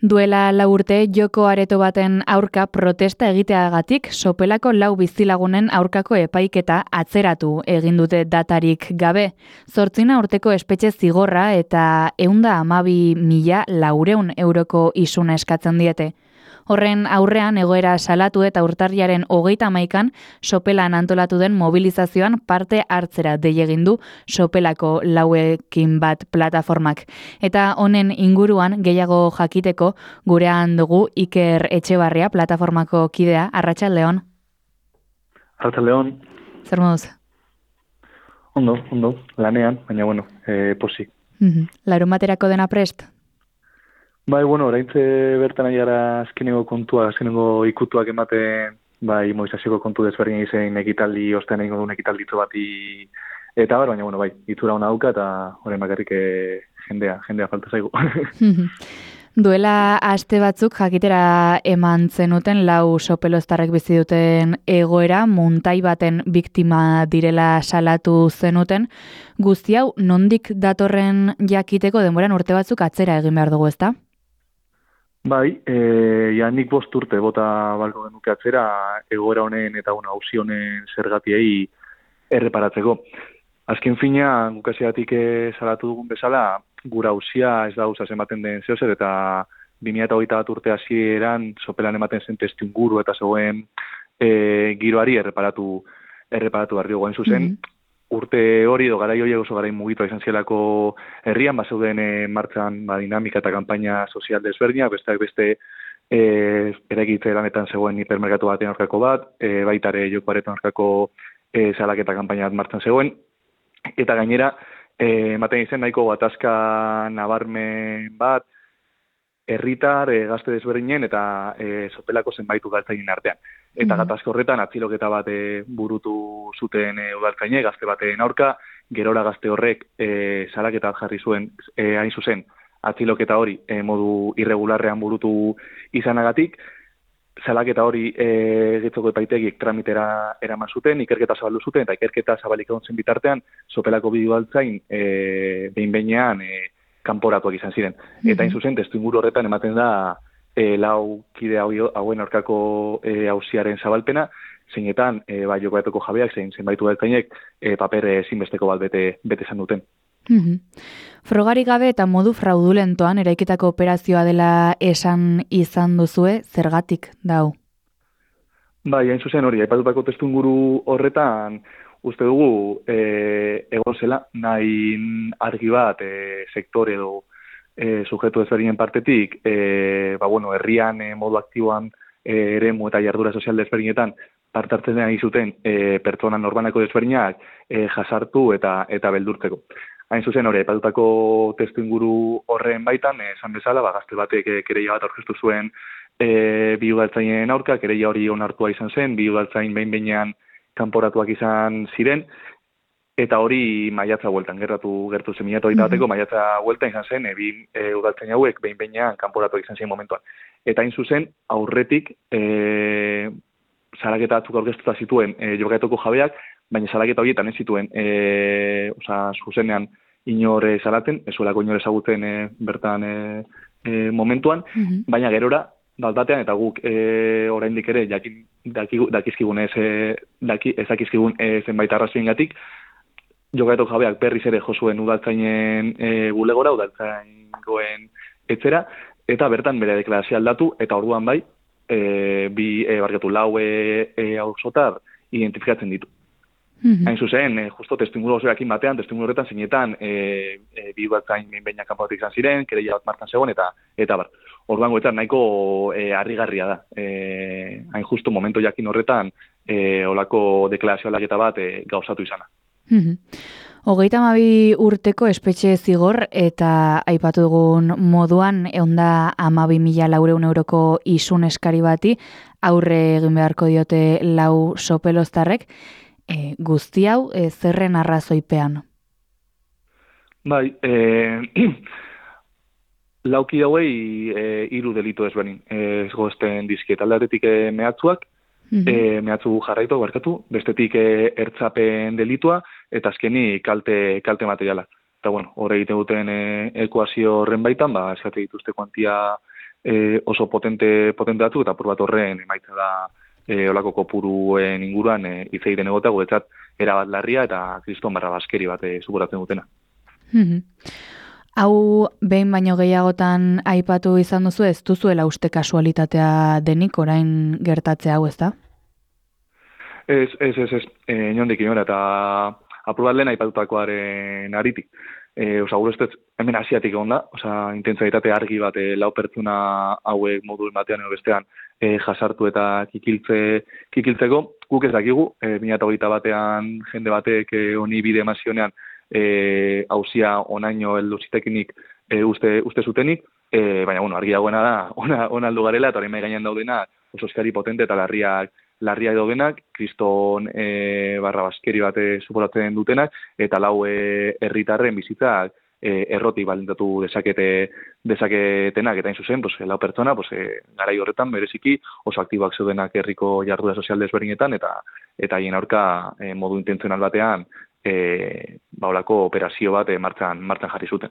Duela 4 urte joko areto baten aurka protesta egiteagatik Sopelako 4 bizilagunen aurkako epaiketa atzeratu egin dute datarik gabe. 8 urteko espetxe zigorra eta 112.400 euroko isuna eskatzen diete. Horren aurrean egoera salatu eta urtarrilaren 31an Sopelan antolatu den mobilizazioan parte hartzera dei egin du Sopelako 4ekin bat plataformak. Eta honen inguruan gehiago jakiteko gurean dugu Iker Etxebarria plataformako kidea. Arratsaldeon. Arratsaldeon. Zer moduz? Ondo, lanean, baina posi. Larunbaterako dena prest? Bai, oraintze bertan aiara azkenengo ikutuak ematen, bai, mobilizazioko kontu desberdin izen ekitaldi, ostean egingo duen ekitalditzo bati, eta baina, bai, itzura hona dauka, eta horren bakarrik jendea falta zaigu. Duela aste batzuk jakitera eman zenuten 4 sopeloztarrek bizi duten egoera, muntai baten biktima direla salatu zenuten. Guzti hau nondik datorren jakiteko denboran urte batzuk atzera egin behar dugu, ezta? Bai, nik 5 urte bota balko genuke atzera egoera honen eta auzi honen zergatiei erreparatzeko. Azken fina, gukasiatik salatu dugun bezala, gura auzia ez da gauzaz ematen den zehozer, eta 2021 urte hasieran Sopelan ematen zen testuinguru eta zegoen giroari erreparatu behar diogu. Zuzen, urte hori edo garai horiek oso garai mugitua izan zielako herrian, bazeuden martxan dinamika eta kanpaina sozial desberdinak, besteak beste eraikitze lanetan zegoen hipermerkatu baten aurkako bat, baita ere joko areton aurkako salaketa kanpaina bat martxan zegoen, eta gainera, ematen izen nahiko gatazka nabarmen bat, herritar, gazte desberdinen eta Sopelako zenbait udaltzainen artean. Eta gatazka horretan atziloketa bat burutu zuten udaltzainek, gazte baten aurka, gerora gazte horrek salaketa jarri zuen, hain zuzen, atziloketa hori modu irregularrean burutu izanagatik, salaketa hori getzoko epaitegik tramitera eraman zuten, ikerketa zabaldu zuten, eta ikerketa zabalik egon zen bitartean, Sopelako bi udaltzain behin-behinean kanporatuak izan ziren. Eta hain zuzen, testuinguru horretan ematen da 4 kide hauen aurkako auziaren zabalpena, zeinetan jokoetako jabeak, zenbait udaltzainek paper ezinbesteko bat bete izan duten. Frogarik gabe eta modu fraudulentoan eraikitako operazioa dela esan izan duzue, zergatik dau? Bai, hain zuzen hori, aipatutako testuinguru horretan, uste dugu egon zela, nahi argi bat sektore edo sujetu ezberdinen partetik, herrian modu aktiboan eremu eta jardura sozial desberdinetan parte hartzen nahi zuten pertsona norbanako desberdinak jasartu eta beldurtzeko. Hain zuzen hori, aipatutako testuinguru horren baitan, esan bezala, gazte batek kereia bat aurkeztu zuen bi udaltzainen aurka, kereia hori onartua izan zen, bi udaltzain behin-behinean kanporatuak izan ziren, eta hori maiatza bueltan, gertu zen 2021 bateko maiatza bueltan izan zen, bi udaltzain hauek behin-behinean kanporatuak izan ziren momentuan. Eta hain zuzen, aurretik salaketa batzuk aurkeztuta zituen jokaetoko jabeak, baina salaketa horietan ez zituen zuzenean inor salatzen, ez zuelako inor ezagutzen bertan momentuan, baina gerora, batean eta guk oraindik ere dakizkigun zenbait arrazoiengatik, jokaetoko jabeak berriz ere jo zuen udaltzainen bulegora, udaltzaingoen etzera, eta bertan bere deklarazioa aldatu, eta orduan bai, 4 auzotar identifikatzen ditu. Hain zuzen, justo testuinguru osoarekin batean, testuinguru horretan zeinetan bi udaltzain behin kanporatuak izan ziren, kereia bat martxan zegoen, eta bar. Orduan goetan nahiko harrigarria da. Hain justo momentu jakin horretan olako deklarazio aldaketa bat gauzatu izana. 32 urteko espetxe zigor eta aipatu dugun moduan 112.400 euroko isun eskari bati aurre egin beharko diote 4 sopeloztarrek. Guzti hau zerren arrazoipean? Bai, 4 kide hauei 3 delitu ezberdin ezgozten dizkiet. Aldatetik mehatzuak, mehatzu jarraitu, bestetik ertzapen delitua, eta azkeni kalte materiala. Eta hor egiten duten ekuazio horren baitan, eskate dituzte kuantia oso potente batzuk, eta apur bat horren emaitza da olako kopuruen inguruan hitz egiten egota, guretzat erabat larria eta kriston barra baskeri bat suporatzen dutena. Hau behin baino gehiagotan aipatu izan duzu, ez duzuela uste kasualitatea denik orain gertatzea hau, ezta? Ez, inondik inora, eta apur bat lehen aipatutakoaren aritik. Gure ustez, hemen asiatik egon da, intentsitate argi bat lau pertsona hauek modu batean edo bestean jasartu eta kikiltzeko, guk ez dakigu, 2021 batean jende batek honi bide emazionean hauzia onaino heldu zitekenik uste zutenik, baina argi dagoena da, ona aldu garela, eta hori mai gainean daudena oso eskari potente eta larriak daudenak, kriston barra baskeri bat suporatzen dutenak, eta lau herritarren bizitzak errotik balintatu dezaketenak, eta hain zuzen, lau pertsona, garai horretan bereziki oso aktiboak zeudenak herriko jarduera sozial desberdinetan, eta haien aurka modu intentzional batean olako operazio bat martxan jarri zuten.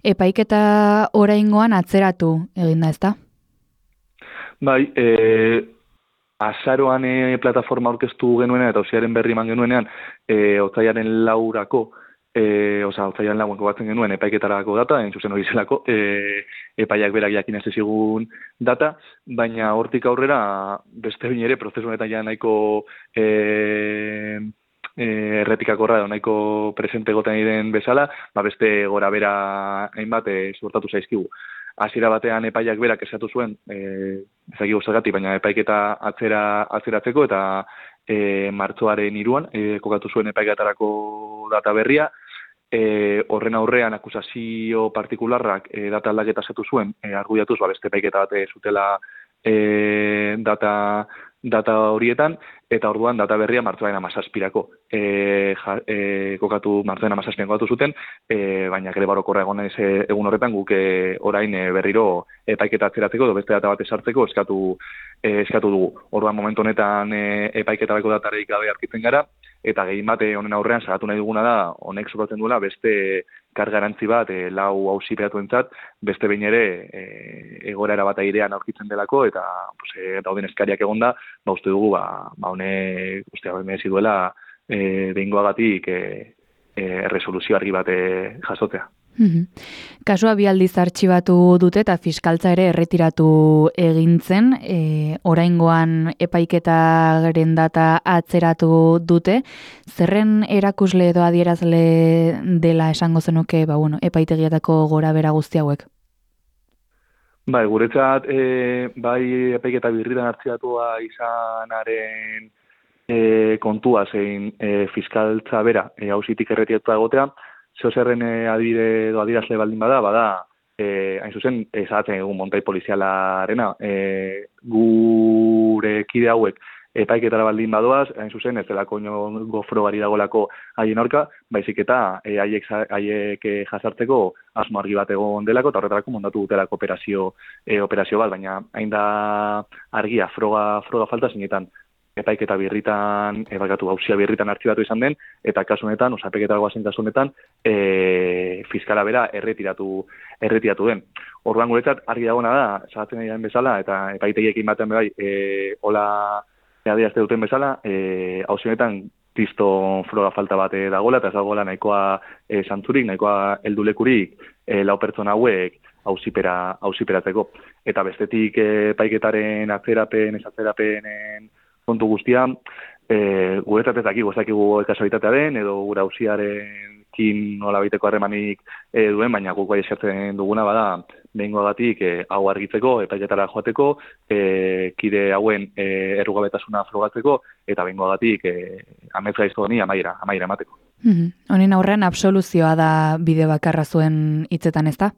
Epaiketa oraingoan atzeratu egin da, ezta? Bai, azaroan plataforma aurkeztu genuenean eta auziaren berri eman genuenean otsailaren 4-ako, otsailaren 4 batzen genuen epaiketarako data, zuzen hori zelako, epaiak berak jakin ez ezigun data, baina hortik aurrera beste behin ere prozesu honetan ja nahiko errepikakorra edo nahiko presente egoten diren bezala, beste gora bera hainbat suertatu zaizkigu. Hasiera batean epaiak berak esatu zuen, ezagigu zergatik, baina epaiketa atzeratzeko, eta martxoaren 3 kokatu zuen epaiketarako data berria, horren aurrean akusazio partikularrak data aldaketa esatu zuen, argudiatuz beste epaiketa bat zutela data horietan, eta orduan data berria martxoaren 17-ako martxoaren 17-an kokatu zuten, baina greba orokorra egun horretan guk orain berriro epaiketa atzeratzeko edo beste data bat esartzeko eskatu dugu. Orduan momentu honetan epaiketarako datarik gabe aurkitzen gara, eta gehien bat honen aurrean salatu nahi duguna da, honek suposatzen duela beste kargarantzi bat lau auzipeatuentzat, beste behin ere egoera bat airean aurkitzen delako, eta dauden eskariak egonda, uste dugu honek merezi duela behingoagatik erresoluzio argi bat jasotzea. Kasua 2 aldiz artxibatu dute eta fiskaltza ere erretiratu egin zen, oraingoan epaiketaren data atzeratu dute, zerren erakusle edo adierazle dela esango zenuke epaitegietako gora bera guzti hauek? Bai, guretzat bai epaiketa birritan artxibatua izanaren kontua zein fiskaltza bera auzitik erretiratu egotea, zerren adibide edo adierazle baldin bada, hain zuzen, esatzen egun montai polizialarena, gure kide hauek epaiketara baldin badoaz, hain zuzen, ez delako inongo frogari dagolako haien aurka, baizik eta haiek jasartzeko asmo argi bat egon delako, eta horretarako montatu dutelako operazio bat, baina hain da argia froga falta zinetan. Epaiketa birritan, hauzia birritan artxibatu izan den, eta kasu honetan, epaiketa goazen kasu honetan, fiskala bera erretiratu den. Orduan guretzat argi dagoena da, salatzen ari den bezala, eta epaitegiekin batean bai, hola adierazte duten bezala, hauzi honetan kriston froga falta bat dagoela, eta ez dagoela nahikoa santzurik, nahikoa heldulekurik lau pertsona hauek auziperatzeko. Eta bestetik epaiketaren atzerapenen kontu guztia, guretzat ez dakigu kasualitatea den, edo gure auziarekin nola baiteko harremanik duen, baina guk bai esertzen duguna bada, behingoagatik hau argitzeko, epaiketara joateko, kide hauen errugabetasuna frogatzeko, eta behingoagatik amets gaizto honi amaiera emateko. Honen aurrean absoluzioa da bide bakarra zuen hitzetan, ezta?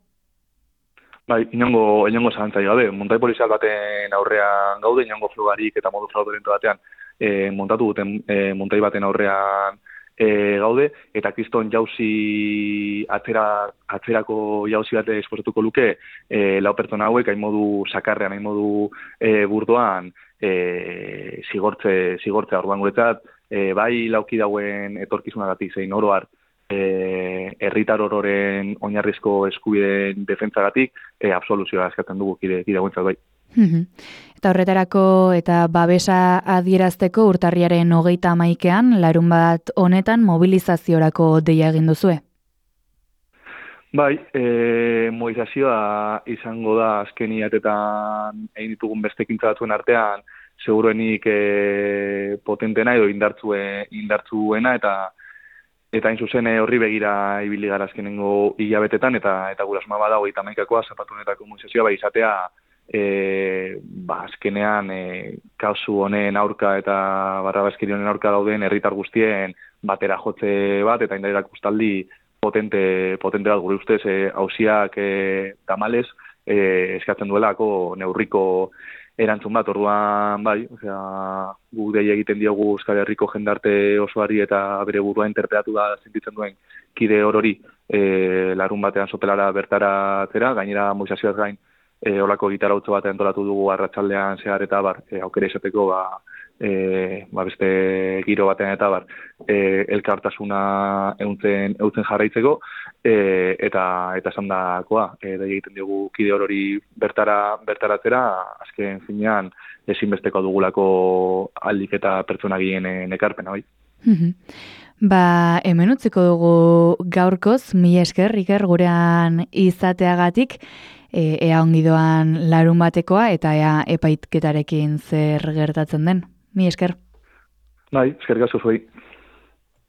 Bai, inongo zalantzarik gabe, montai polizial baten aurrean gaude, inongo frogarik eta modu fraudulento batean montatu duten montai baten aurrean gaude, eta kriston jauzi atzerako jauzi bat esposatuko luke lau pertsona hauek, hain modu sakarrean, hain modu burdoan zigortzea orduan guretzat, bai lauki dauen etorkizunagatik zein oroar herritar ororen oinarrizko eskubideen defentsagatik absoluzioa eskatzen dugu kide guentzat bai. Eta horretarako eta babesa adierazteko urtarriaren 31ean, larunbat honetan mobilizaziorako deia egin duzue. Bai, mobilizazioa izango da azken hilabetetan egin ditugun beste ekintza batzuen artean, seguruenik potentena edo indartzuena eta hain zuzen horri begira ibili gara azkenengo hilabetetan eta gure asmoa bada 31koa zapatu honetako mobilizazioa bai izatea azkenean kasu honen aurka eta barrabazkeri honen aurka dauden herritar guztien batera jotze bat eta indar erakustaldi potente bat gure ustez auziak tamalez eskatzen duelako neurriko erantzun bat, orduan bai, guk deia egiten diogu Euskal Herriko jendarte osoari eta bere burua interpretatu da sentitzen duen kide orori larun batean sopelara bertaratzera, gainera mobilizazioaz gain olako gitarautzo bat antolatu dugu arratsaldean zehar eta aukera izateko beste giro batean eta elkartasuna euntzen jarraitzeko eta esandakoa egiten diogu kide orori bertaratzera azken finean ezinbesteko dugulako aldik eta pertsonagien ekarpena bai. Hemen utziko dugu gaurkoz, mila esker, Iker, gurean izateagatik, ea ongi doan larun batekoa eta ea epaitketarekin zer gertatzen den. Mila esker. Bai, eskerrik asko zuei.